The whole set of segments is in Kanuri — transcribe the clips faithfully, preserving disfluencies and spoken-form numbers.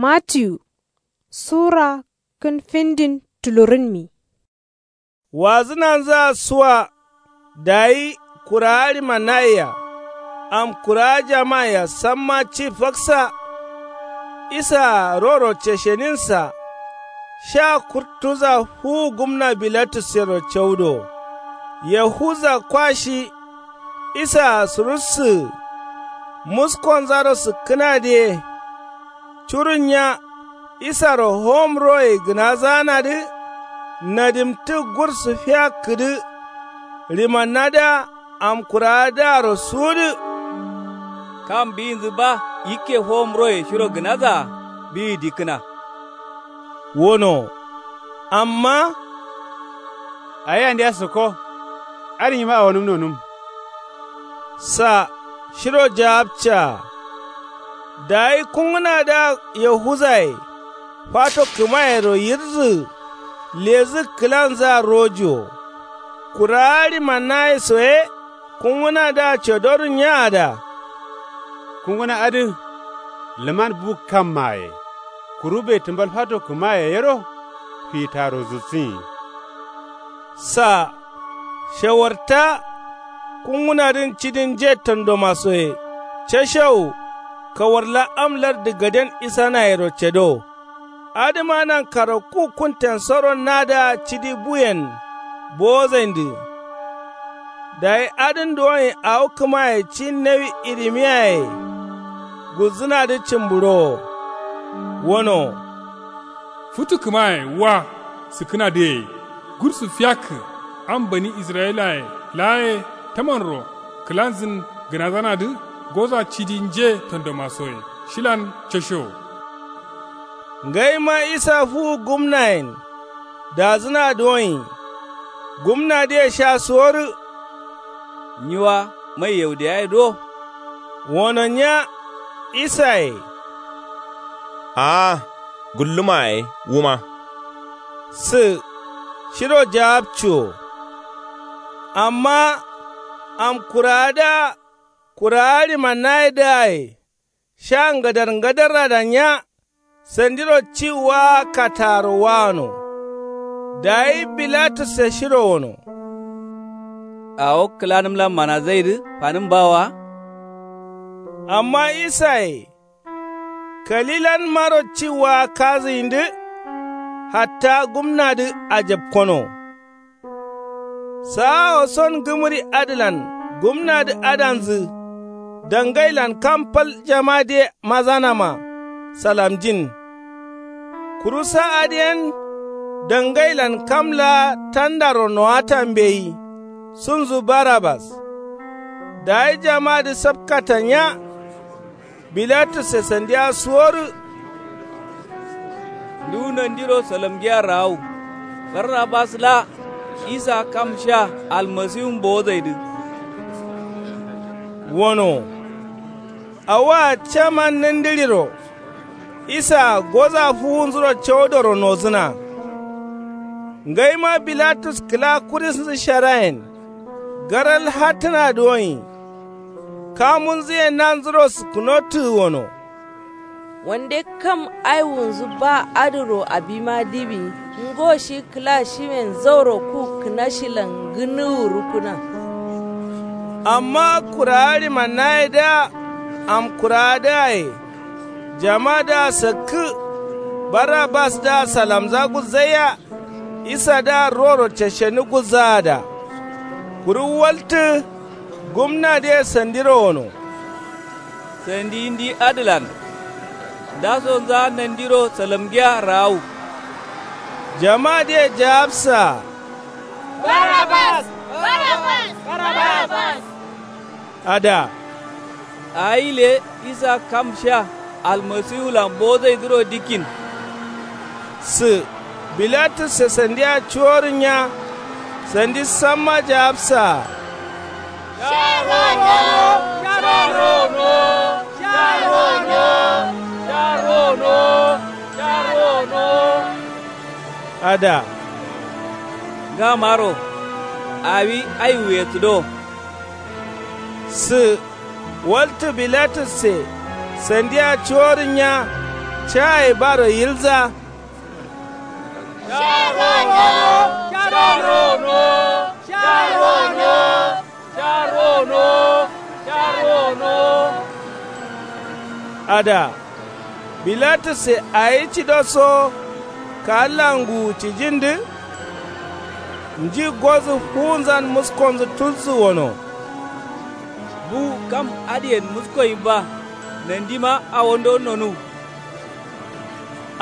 Matiyu sura kǝn findin tulurǝnmi. Wazǝnanzǝa suwa. Dayi kurawa ɍimanaye-a, am kurawa jamaye-a samma ci faksa. Isaa roro cesheninsa. Sha kurtunza fuwu gumna bilatusyero caudo. Yahuza kwa shi. Isaa surussǝgǝ. Muskonzaro sǝkkǝnadǝye. Curunnya isaro howomroye gǝnazaanadǝ. Nadimtǝ gursǝ fiyakkǝdǝ. Ɍimannadǝa am kurawadǝaro suwudǝ. Kam biwinzǝ ba yikke howomroye shiro gǝnazaa biwi dikkǝna. Wono. Amma awi andeya sǝkko. Adǝ nyima awonǝm nonǝm. Sa shiro jawabcaa. Dayi kungǝnadǝa yahuzaye fato kǝmayero yirzǝgǝ. Lezǝgǝ kǝlanzǝa rojiwo. Kurawa ɍimanaye so ye kungǝnadǝa codorǝ nyaada. Kungǝna adǝ lǝman bu kammaye. Kuru be tǝmbal fato kǝmaye yero fitaro zutsǝnyi. Sa shawarta. Kungǝnadǝn cidin nje tondomasoye cashewu. Kawarla am lardǝ gaden isanayero cedo. Adǝma nankaro ku kuntensoro nadǝa cidi buyen bowozaindǝ. Dayi adǝn duwonyi awo kǝmaye ci nawi irimiyaye. Gulzǝnadǝ cǝmbǝɍowo. Wono. Futu kǝmaye wa sǝkkǝnadǝye. Gursǝ fiyakkǝ am bani israyilaye laa ye tamanro kǝlanzǝn gǝnazanadǝ. Goza cidi nje tondomasoye shilan cashewo. Ngaima isa fuwu gumnayen dazǝna duwonyi. Gumnadǝye sha suworǝ. Nyi wa mai yaudeyaye do. Wono nya isaye. Aa gulluma yaye wuma. Sǝ shiro jawabciwo. Amma am kurawadǝa kurawa ɍimanayedǝaye sha ngadarngadarradanya. Sandiro ci waa kattaro waano. Dayi bilatusse shiro wono. Awo kǝlanǝmlan manazaidǝ fanǝm bawo wa. Amma isaye kalilanmaro ci waa kazǝyindǝ. Hatta gumnadǝ ajapkono. Saawo son gǝmǝri adǝlan gumnadǝ adanzǝ. Dangailan kam fal jamadǝye mazanama salamjin. Kuru sa adǝyen dangailan kam laa tandaro nowata mbeyi. Sunzu barabas. Dayi jamadǝ sapkatanya. Bilatusse sandiya suworǝ. Nduwu nandiro salamgiya raawu. Barrabas laa isa kam sha almasiwun bowozaidǝ. Wono. Awoa caman nǝndǝɍiro. Isaa goza fuwunzuro caudoro nozǝna. Ngaima bilatus kǝla kurisnzǝ sharayen. Garal hattǝna duwonyi. Kamunzǝ ye nanzuro sǝkkǝnottǝgǝ wono. Wande kam aiwunzǝ ba adǝro abima diwi. Ngo shi kǝla shimen zauro ku kǝnashilan ngǝnǝwu rukkǝna. Amma kurawa ɍimannayedǝa am kurawadǝaye jamadǝa sakkǝ. Barabasdǝa salamza gulzaiya. Isadǝa roro ceshenǝ gulzaada. Kuru waltǝ gumnadǝye sandiro wono. Sandi ndi adǝlan. Ndasonza nandiro salamgiya raawu. Jamadǝye jawabsaa. Barabas. Barabas. Barabas. Ada. Awi le isa kam sha almasiwulan bozaidǝro dikkin. Sǝ bilatusse sandiya cuworǝnya. Sandi samma jawabsaa. Sharono. Sharono. Sharono. Sharono. Sharono. Ada. Ngamaro awi aiwuye tǝdo. Sǝ waltǝ bilatusse sandiya cuworǝnya. caye baro yilza. Sha rono, sha rono, sha rono, sha rono, sha rono. Ada, bilatisse awi cido so kaalla nguwu cijindǝ. Nji godǝ fuwunzan muskonzǝ tulsǝ wono. Buwu kam adǝyen muskoyimba. Nandima awondo nonuw.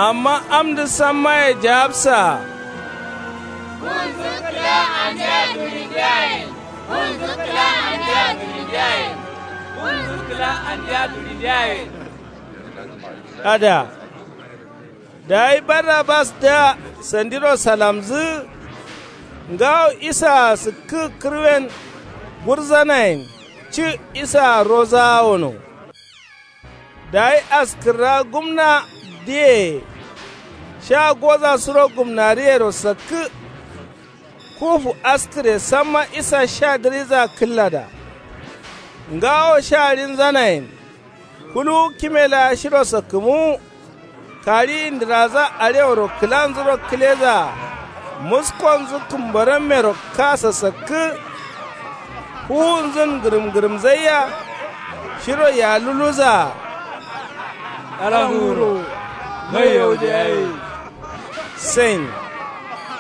Amma amdǝ sammaye jawabsaa. Fuwunzǝ kǝla andea durindiyayen. Fuwunzǝ kǝla andea durindiyayen. Fuwunzǝ kǝla andea durindiyayen. Ada, dayi barnabasdǝa sandiro salamzǝ. Ngawo isaa sǝkkǝ kǝrwen gurzanayen. Ci isaa rozawa wono. Dayi askǝrra gumnadǝye sha goza suro gumnariyero sakkǝ. Kufu askǝre samma isa sha dǝriza kǝllada. Ngawo sha rinzanayen. Kuluwu kime laa shiro sakkǝmuwu. Kariyi ndǝraza aleworo kǝlanzuro kǝlezaa. Muskonzǝ kǝmbarammero kasa sakkǝ. Fuwunzun ngǝrǝmngǝrǝmzaiya. Shiro yaluluzaa. Ala nguro mai yaudiyaye. Sain.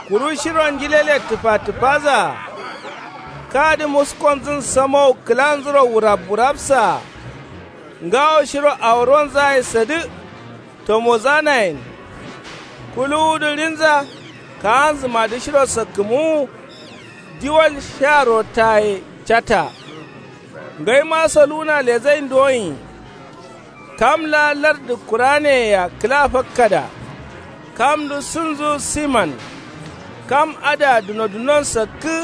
Kuru shiro njilele tǝfatǝfazaa. Kadǝ muskonzǝn samowu kǝlanzuro wurabwurabsaa. Ngawo shiro aworonzaye sadǝ. Tomozanayen. Kuluwudǝ rinza. Kaanzǝmadǝ shiro sakkǝmuwu. Diwal sha rotaye cata. Ngaima soluwuna lezain duwoin. Kam laa lardǝ kuraneye-a kǝla fakkada. Kamdǝ sunzu siman. Kam adǝa dunodunon sakkǝ.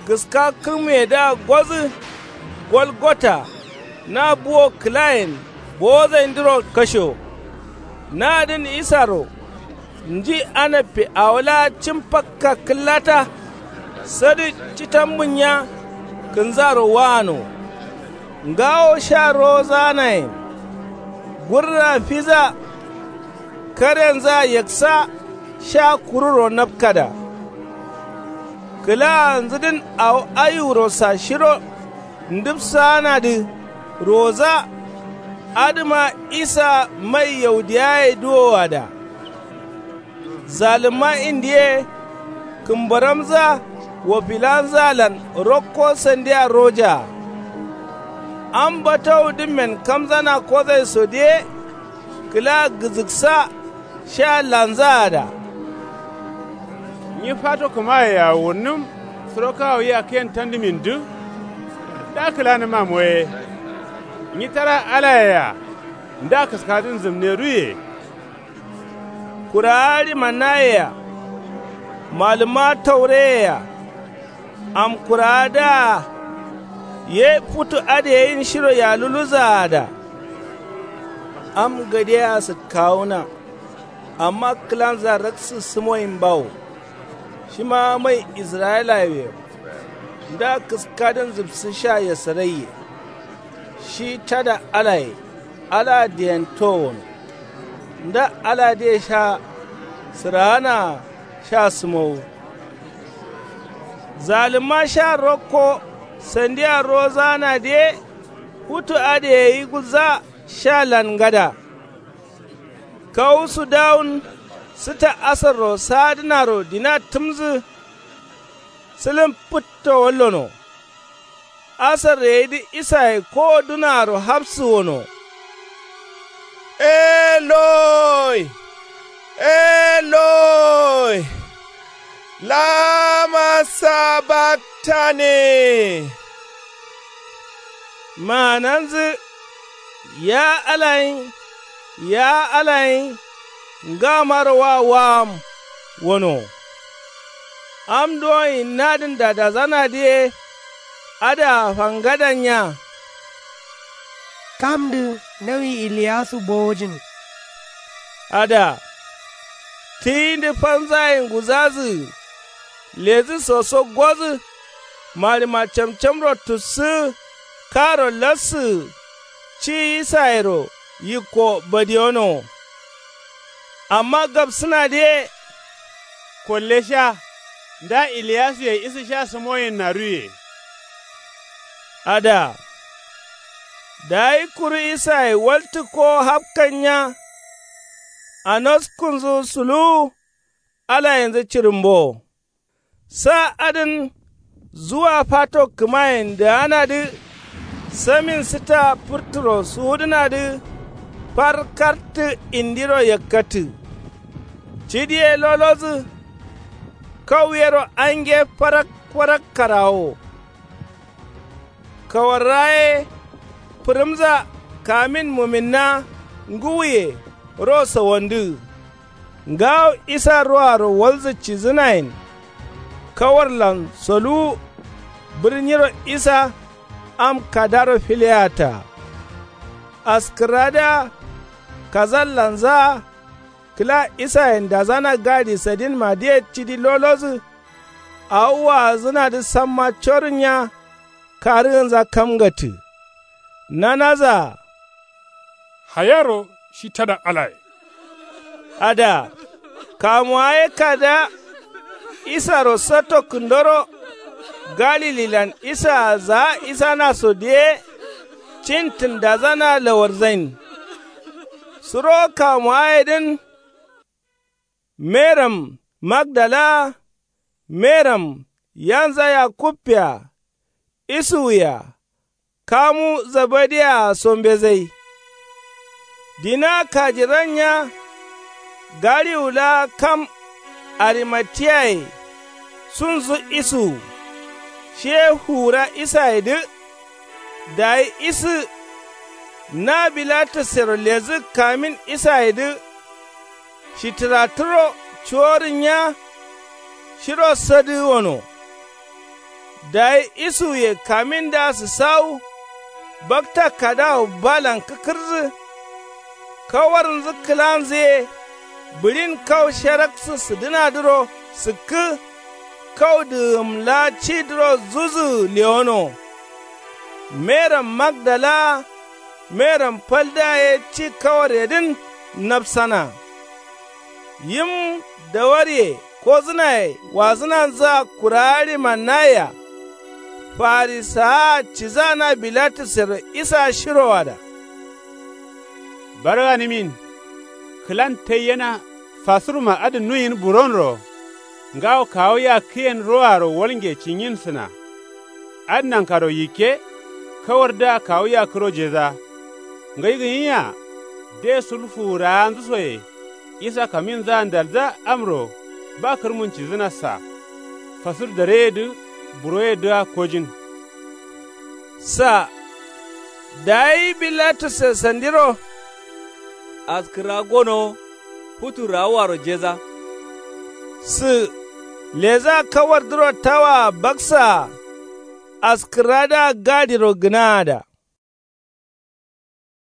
Gǝska kǝmuyedǝa godǝ. Golgota. Na buwo kǝlayen bowozaindǝro kasho. Nadǝn isaro. Nji anabbe awo laa cim fakka kǝllata. Sadǝ citambunya. Kǝnzaro wano. Ngawo sha rowozanayen. Gurra fiza. Karenza yaksa. Sha kururo napkada. Kǝlaanzǝdǝn awo ayuwuro sashiro. Ndǝbsaanadǝ. Roza. Adǝma isa mai yaudiyaye duwowada. Zalǝmma indiye. Kǝmbaramza. Wofilanzalan rokko sandiya rojaa. Am batawudǝmmen kamzana kozaisodǝ ye. Kǝla gǝzǝksa. Sha lanzaada. Nyi fato kǝmayea wurnǝm. Suro kawo yakkiyen tandǝmindǝ. Nda kǝlanǝma moye. Nyi tara alayea. Nda kǝskadǝn zǝmneruye. Kurawa ɍimanayea. Malǝmma taureyea. Am kurawadǝa. Ye futu adǝ yeyin shiro yaluluzaada. Am gadeyea sǝkkawuna. Amma kǝlanza raksǝ sǝmoyimbawo. Shima mai israyilayewe. Nda kǝskadǝn zǝbsǝ sha yasaraiye. Shi tada alaye. Alaa diyen towono. Nda aladǝye sha sǝraanaa sha sǝmowo. Zalǝmma sha rokko sandiya rozaanadǝ ye. Futu adǝ yeyi gulza. Sha lan ngada. Kawu sudawun. Sǝta asarro saadǝnaro dina tǝmzǝ. Sǝlǝm fǝtto wallono. Asarro yedǝ isaye kowo dunaaro hafsǝ wono. Eloi, eloi, lama sabaktane. Maananzǝ. Ya alayin, ya alayin. Ngamaro wa wam. Wono. Am duwoyin nadǝn dadazanadǝ ye. Adǝa fangadanya. Kamdǝ nawi iliyasu bowojin. Adǝa. Tiyindǝ fanzaye nguzazǝ. Ledǝ soso godǝ. Malǝma camcamro tussǝ. Karo lassǝ. Ci isayero yikko badiyonowo. Amma gabsǝnadǝ ye kollesha. Nda iliyasuye isǝ sha sǝmoyinnaduye. Ada. Dayi kuru isaye waltǝ kowo hapkannya. Anoskunzǝ suluwu. Alayenzǝ cirǝmbowo. Sa adǝn zuwa fato kǝmayen dǝganadǝ. Samin sǝta fǝrturo suwudǝnadǝ. Far kartǝ indiro yakkatǝ. Cidi ye lolodǝ. Kau yero ange farak farak karawo. Kawarra ye fǝrǝmza. Kamin muminna ngǝwuye ro sawandǝ. Ngawo isa roaro walzǝ cidǝnayen. Kawarlan soluwu bǝrnyiro isa am kadaro fileyata. Askǝrradǝa kazallanzaa kǝla isayen dazana gadi sadinmadǝye cidi lolodǝ. Awo waazǝnadǝ samma corǝnya. Karǝgǝnza kamgatǝ. Nanazaa. Hayaro shi tada alaye. Ada. Kamuwa ye kada isaro satto kǝndoro. Galililan isaa zaa isanaso diye. Cintǝn dazana lawarzain. Suro kamuwa yedǝn. Meram magdala. Meram yanza yakubbea. Isuwea. Kamu zebedeyea sombezai. Dina kajirannya. Galiwu laa kam arimatiyaye. Sunzu isuwu. Shiye fuwura isayedǝ. Dayi isǝ. Na bilatusero ledǝ kamin isayedǝ. Shitǝraturo cuworǝnya. Shiro sadǝ wono. Dayi isuwuye kamindǝa sǝsawu. Bakta kadawo balan kǝkǝrdǝ. Kawarnzǝ kǝlanzǝ ye. Bǝɍin kau sharaksǝ sǝdǝnadǝro sǝkkǝ. Kau dǝgǝm laa cidǝro zuzǝgǝ lewono. Meram magdala-a. Meram faldǝa ye ci kawaryedǝn. Nabsana. Yim dawarye kozǝnaye wazǝnanzǝa kurawa ɍimannayea. Farisawaa cidǝa na bilatusero isa shiro ada. Barganǝmin. Kǝlan taiyena fasurma adǝ nuyin buronro. Ngawo kawu yakkǝyen roaro walnge cinyinsǝna. Adǝ nankaro yikke. Kawardǝa kawu yakkǝro jeza. Ngai gǝnyia. De sul fuwurawanzǝ soye. Isa kaminzǝa ndalza amro. Ba kǝrmun cidǝnassa. Fasur dareyedǝ. Buroyedǝa kojin. Sa. Dayi bilatusse sandiro. Askǝrra gonowo. Futu rawuwaro jeza. Sǝ. Leza kawardǝro tawaa baksaa. Askǝrradǝa gadiro gǝnaada.